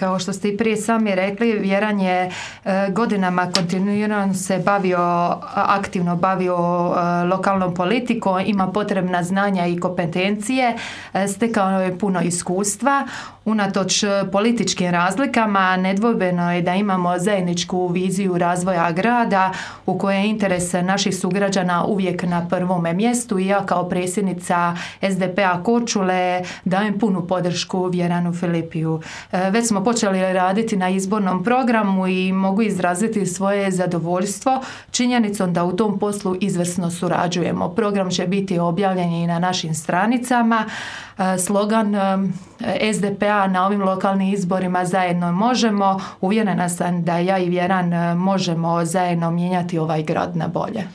Kao što ste i prije sami rekli, Vjeran je godinama kontinuirano se aktivno bavio lokalnom politikom, ima potrebna znanja i kompetencije, stekao je puno iskustva. Unatoč političkim razlikama, nedvojbeno je da imamo zajedničku viziju razvoja grada u kojoj je interes naših sugrađana uvijek na prvome mjestu i ja kao predsjednica SDP-a Korčule dajem punu podršku Vjeranu Filipiju. Već smo počeli raditi na izbornom programu i mogu izraziti svoje zadovoljstvo činjenicom da u tom poslu izvrsno surađujemo. Program će biti objavljen i na našim stranicama. Slogan SDP-a na ovim lokalnim izborima zajedno možemo. Uvjerena sam da ja i Vjeran možemo zajedno mijenjati ovaj grad na bolje.